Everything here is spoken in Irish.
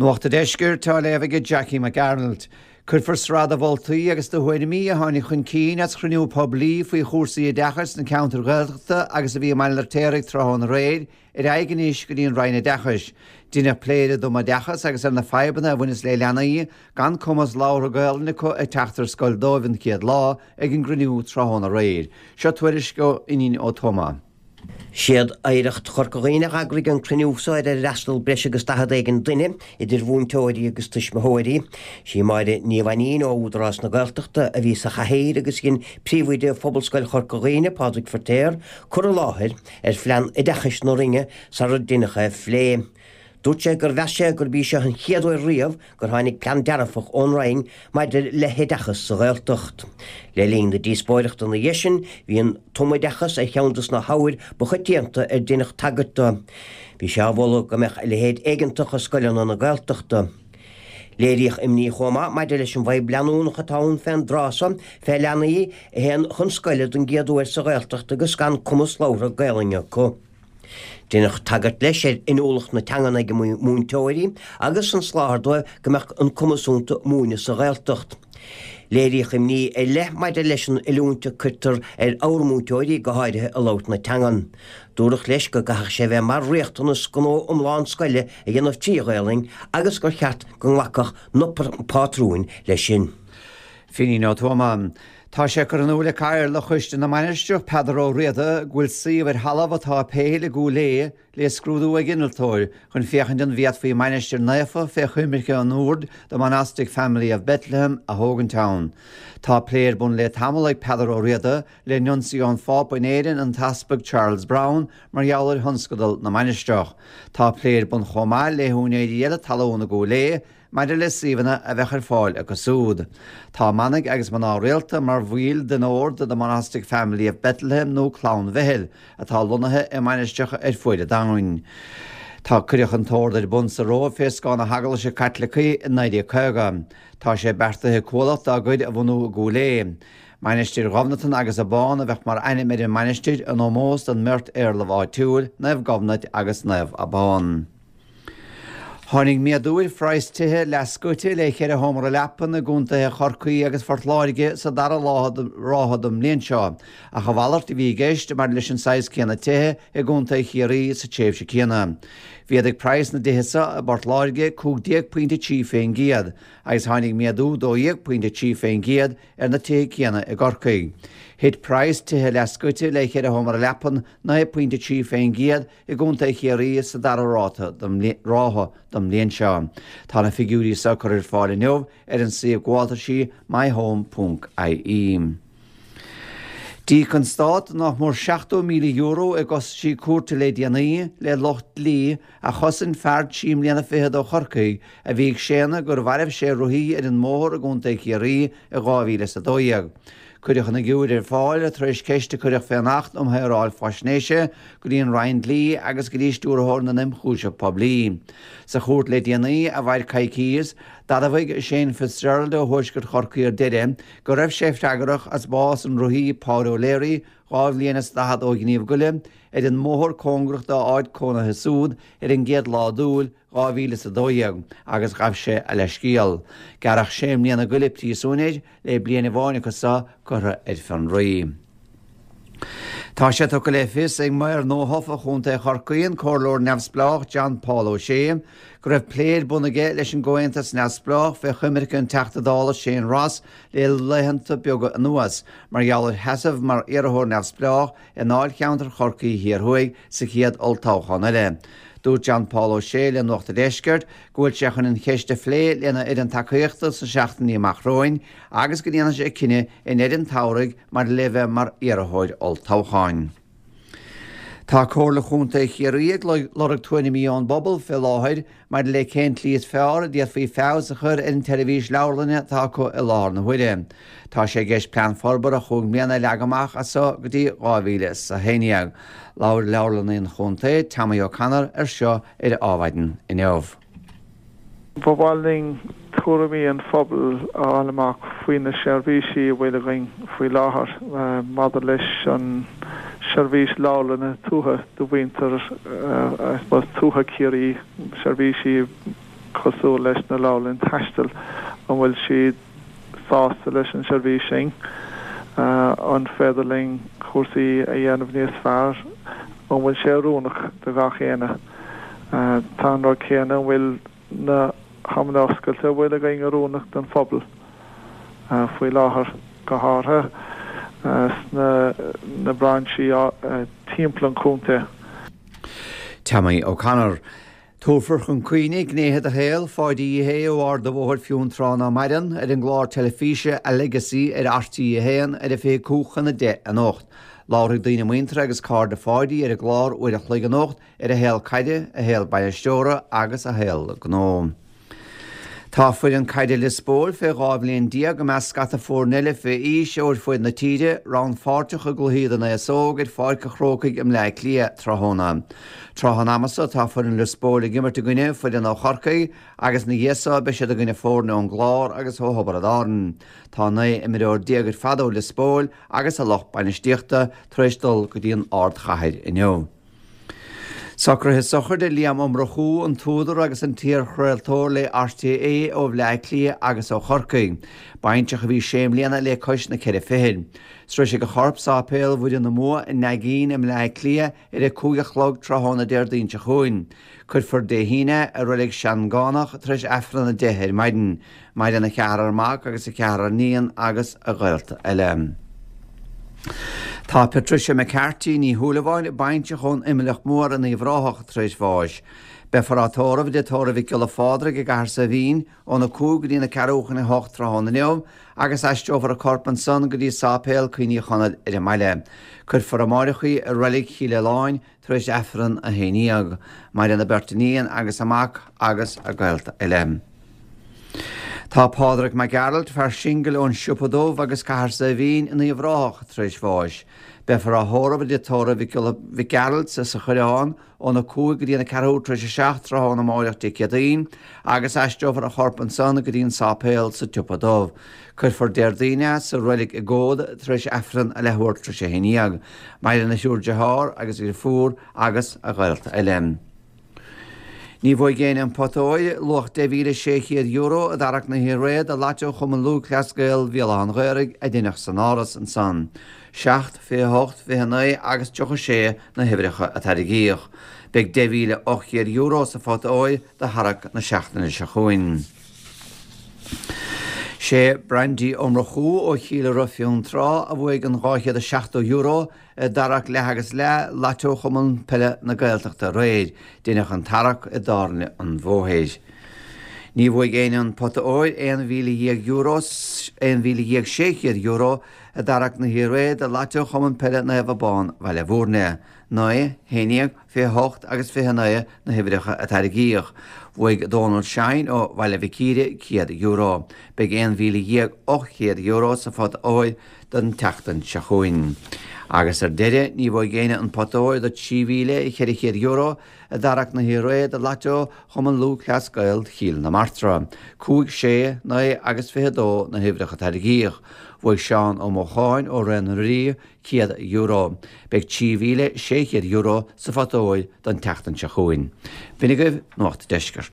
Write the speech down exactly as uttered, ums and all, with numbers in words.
Nuacht an Deiscirt á léamh ag Jackie McArnold. Cuirfear sraith de mholtaí agus de thuairimí a tháinig chun cinn as chruinniú poiblí faoi chúrsaí oideachais sna ceantair Ghaeltachta agus a bhí i mBaile an Fheirtéaraigh tráthnóna aréir ar aghaidh anois go dtí an Roinn Oideachais. Deineadh plé ar an tumoideachas agus ar na fadhbanna a bhaineas le leanaí gan cumas labhartha Gaelainne acu ag teacht ar scoil dóibh an chéad lá ag an gcruinniú tráthnóna aréir. Seo tuairisc ó Fhínín Ó Tuama. Siad Oidhreacht Chorca Dhuibhne a d'eagraigh an cruinniú seo ar ar fhreastail breis agus daichead éigin duine idir mhúinteoirí agus tuismitheoirí. Sí Máire Ní Mhainín ó Údarás na Gaeltachta a bhí sa chathaoir agus dhein príomhoide Phobalscoil Chorca Dhuibhne Pádraig Feirtéar cur i láthair ar phlean oideachais na Roinne sar deineadh é a phlé. Dúirt sé gur mheas sé gurb í seo an chéad uair riamh gur tháinig plean dearfach ón Roinn maidir le hoideachas sa Ghaeltacht. Le linn na díospóireachta ina dhiaidh sin bhí an tumoideachas ar cheann des na hábhair ba choitianta ar deineadh tagairt dó. Bhí sé á mholadh go mbeadh a leithéid éigeantach i scoileanna na Gaeltachta. Léiríodh imní chomh maith maidir leis an bhfadhb leanúnach atá ann fén dtráth seo fé leanaí a théann chun scoile don gcéad uair sa Ghaeltacht agus gan cumas labhartha Gaelainne acu. Deineadh tagairt leis ar inniúlacht na teangan ag múinteoirí agus an soláthar dóibh go mbeadh an cumas iontu múineadh sa Ghaeltacht. Léiríodh imní ar leith maidir leis an oiliúint a cuirtear ar ár múinteoirí go háirithe i labhairt na teangan. Dúradh leis go gcaithfeadh sé bheith mar riachtanas gnó iomlán scoile a dhéanamh trí Ghaelainn agus gur cheart go nglacfadh na pátrúin leis sin. Fínín Ó Tuama. Tá sé curtha in iúl ag Cathaoirleach Choiste na Mainistreach Peadar Ó Riada go bhfuil suíomh ar thalamh atá péil i gCúil Aodha le scrúdú ag innealtóir chun féachaint an bhféadfaí mainistir naofa fé choimirce an Oird The Monastic Family of Bethlehem a thógaint ann. Tá plé ar bun le tamall ag Peadar Ó Riada le nuncio an Phápa in Éirinn an tEaspag Charles Brown mar gheall ar thionscadal na mainistreach. Tá plé ar bun chomh maith le húinéirí eile talún i gCúil Aodha maidir le suíomhanna a bheadh ar fáil acu siúd. Tá manaigh agus mná rialta mar bhaill den ord The Monastic Family of Bethlehem nó Clann Bheithil atá lonnaithe i mainistreacha ar fuaid an domhain. Tá cuireadh an t-ord ar bun sa Róimh fé scáth na hEaglaise Caitlicí i naoi déag caoga. Tá sé beartaithe cuallacht dá gcuid a bhunú i gCúil Aodha. Mainistir Ghobnatan agus Abán a bheadh mar ainm ar an mainistir in ómós don mbeirt éarlamh áitiúil, Naomh Gobnait agus Naomh Abán. Tháinig méadú ar phraghas tithe leathscoite le ceithre sheomra leapan i gcontaetha Chorcaí agus Phort Láirge sa dara ráithe den mbliain seo, ach a mhalairt a bhí i gceist maidir leis an saghas céanna tithe i gcontae Chiarraí sa tréimhse céanna. Mhéadaigh praghas na dtithe seo i bPort Láirge cúig déag pointe trí faoin gcéad, agus tháinig méadú dó dhéag pointe trí faoin gcéad ar na tithe céanna i gCorcaigh. Thit praghas tithe leathscoite le ceithre sheomra leapan naoi pointe trí faoin gcéad i gcontae Chiarraí sa dara ráta ráithe den mbliain seo. Tá na figiúirí seo curtha ar fáil inniu ar an suíomh gabháltaisí myhome.ie. D'íoc an stát nach mór seachtó míle euro i gcostaisí cúirte le déanaí le lucht dlí a chosain fear trí mbliana fichead ó Chorcaigh a bhí ag séanadh gur mharaigh sé rothaí ar an mbóthar i gcontae Chiarraí i dhá mhíle is a dó dhéag. Cuireadh an fhigiúr ar fáil tar éis ceist a cuireadh fén Acht um Shaoráil Faisnéise go dtí an Roinn Dlí agus go dtí Stiúrthóir na nIomchúiseamh Poiblí. Sa chúirt le déanaí a mhair coicís, d'admhaigh Shane Fitzgerald ó Thuaisceart Chorcaí ar deireadh go raibh sé freagrach as bás an rothaí Páid O'Leary dhá bhliain is daichead ó Ghníomh Goile ar an mbóthar cóngarach dá áit cónaithe siúd ar an gcéad lá d'Iúil dhá mhíle is a dó dhéag agus ghabh sé a leithscéal. Gearradh sé mbliana goile príosúin air le bliain amháin acu seo curtha ar fionraí. Tá sé tugtha le fios ag maor nuathofa Chontae Chorcaí an Comhairleoir Neamhspleách John Paul O'Shea go raibh plé ar bun aige leis an gComhaontas Neamhspleách fé choimirce an Teachta Dála Shane Ross le laethanta beaga anuas mar gheall ar sheasamh mar iarrthóir neamhspleách i ndáilcheantar Chorcaí Thiar Thuaidh sa chéad olltoghchán eile. Dúirt John Paul O'Shea le Nuacht an Deiscirt go bhfuil sé chun an cheist a phlé lena fhoireann tacaíochta sna seachtainí amach romhainn agus go ndéanfaidh sé cinneadh i ndeireadh an tsamhraidh maidir le bheith mar iarrthóir olltoghcháin. Tá Comhairle Chontae Chiarraí ag lorg tuairimí ón bpobal fé láthair maidir le cén tslí is fearr a d'fhéadfaí feabhas a chur ar an tseirbhís leabharlainne atá acu i láthair na huaire. Tá sé i gceist plean forbartha chúig mbliana a leagan amach as seo go dtí dhá mhíle is a haon déag. Labhair Leabharlannaí an Chontae, Tommy O'Connor, ar seo ar Adhmhaidin inniu. Ba mhaith linn tuairimí an phobail a fháil amach faoi na seirbhísí a bhfuil againn faoi láthair maidir leis an seirbhís leabharlainne tuaithe do mhuintir tuaithe Chiarraí, seirbhísí cosúil leis na leabharlann taistil, an bhfuil siad sásta leis an seirbhís sin, an féidir linn cúrsaí a dhéanamh níos fearr, an bhfuil sé oiriúnach do gach éinne. Tá an rud céanna, an bhfuil na hamanna oscailte a bhfuil againn oiriúnach don phobal faoi láthair, go háirithe sna na brainsí timpeall an chontae. Tommy O'Connor. Tabharfar chun cuimhne gnéithe de shaol Pháidí Uí Shé ó Ard an Bhóthair Fionntrá nach maireann ar an gclár teilifíse A Legacy ar RTÉ a haon ar a fiche cúig chun a deich anocht. Labharfaidh daoine muinteartha agus cairde Pháidí ar an gclár uair a chloig anocht ar a shaol caide, a shaol bainisteora agus a shaol gnó. Tá foireann caide Lios Póil fé dhá bhliain déag i measc scata foirne eile fé aois ó ar fuaid na tíre, rannpháirteach i gcluichí don aos óg ar Pháirc an Chrócaigh i mBleá Cliath tráthnóna. Tráth an ama so tá foireann Lios Póil ag imirt i gcoinne foireann ó Chorcaigh agus ina dhiaidh so beidh siad i gcoinne foirne ón gClár agus ó Thiobraid Árann. Tá naoi imreoir déag ar fad ó Lios Póil agus a lucht bainistíochta tar éis dul go dtí an ardchathair inniu. Socruithe sochraide Liam Ó Murchú, an t-údar agus an t-iarchraoltóir le RTÉ ó Bhleá Cliath agus ó Chorcaigh. Baintreach a bhí sé mbliana le cois na ceithre fichid. Sroisfidh a chorp Sáipéal Mhuire na mBua i Naigín i mBleá Cliath ar a cúig a chlog tráthnóna Déardaoin seo chugainn. Cuirfear Dé hAoine i Reilig Seangánach tar éis Aifreann a deich ar maidin. Maireann a cheathrar mac agus a ceathrar iníon agus a ghaolta eile. Tá Patricia McCarthy, Ní Shúilleabháin, baintreach ón Imleach Mór in Uíbh Ráthach tar éis bháis. Beifear á tórramh i dTigh Tórraimh Mhic Giolla Phádraig i gCathair Saidhbhín óna cúig go dtí na ceathrú chun a hocht tráthnóna inniu agus aistreofar a corp ansan go dtí Sáipéal Cuimhní Chonaill ar an mbaile. Cuirfear amáireach í i Reilig Chill Aoláin tar éis Aifreann a haon dhéag. Maireann a beirt iníon agus a mac agus a gaolta eile. Tá Pádraig Mac Gearailt, fear singil ón Siopa Dubh agus Cathair Saidhbhín in Uíbh Ráthach tar éis bháis. Beifear á thórramh i dTigh Tórraimh Mhic Giolla Mhic Gearailt sa Choireán óna cúig go dtí na ceathrú tar éis a seacht tráthnóna amáireach Dé Céadaoin agus aistreofar a chorp ansan go dtí an sáipéal sa tSiopa Dubh. Cuirfear Déardaoin é sa reilig i gComhad tar éis Aifreann a leathuair tar éis a haon dhéag. Maireann a thriúr dearthár agus a dheirfiúr agus a ghaolta eile. Ní bhuaigh éinne an pota óir, luach deich mhíle sé chéad euro, i dtarrac na hAoine do Lotto Chumann Lúthchleas Gael Bhéal Átha an Ghaorthaidh a deineadh san Áras ansan. Seacht, fiche hocht, fiche naoi agus tríocha sé na huimhreacha a tarraingíodh. Beidh deich mhíle ocht gcéad euro sa phota óir do tharrac na seachtaine seo chugainn. Sé Brandy Ó Murchú ó Chill Ura Fionntrá a bhuaigh an dhá chéad is seachtó euro i dtarrac leath agus leath Lotto Chumann Peile na Gaeltachta aréir. Deineadh an tarrac i dTábhairne an Bhóthair. Ní bhuaigh éinne an pota óir, aon mhíle dhéag euro, aon mhíle dhéag sé chéad euro, i dtarrac na hAoine do Lotto Chumann Peile Naomh Abán Bhaile Bhúirne. Naoi, haon déag, fiche hocht agus fiche naoi na huimhreacha a tarraingíodh. Bhuaigh Dónal Shine ó Bhaile Mhic Íre céad euro. Beidh aon mhíle dhéag ocht gcéad euro sa phota óir don tseachtain seo chugainn. Agus ar deireadh, ní bhuaigh éinne an pota óir de trí mhíle cheithre chéad euro i dtarrac na hAoine do Lotto Chumann Lúthchleas Gael Chill na Martra. Cúig, sé, naoi agus fiche dó na huimhreacha a tarraingíodh. Bhuaigh Seán Ó Mocháin ó Ré na Rí céad euro. Beidh trí mhíle sé chéad euro sa phota óir don tseachtain seo chugainn. B'in agaibh Nuacht Deiscirt.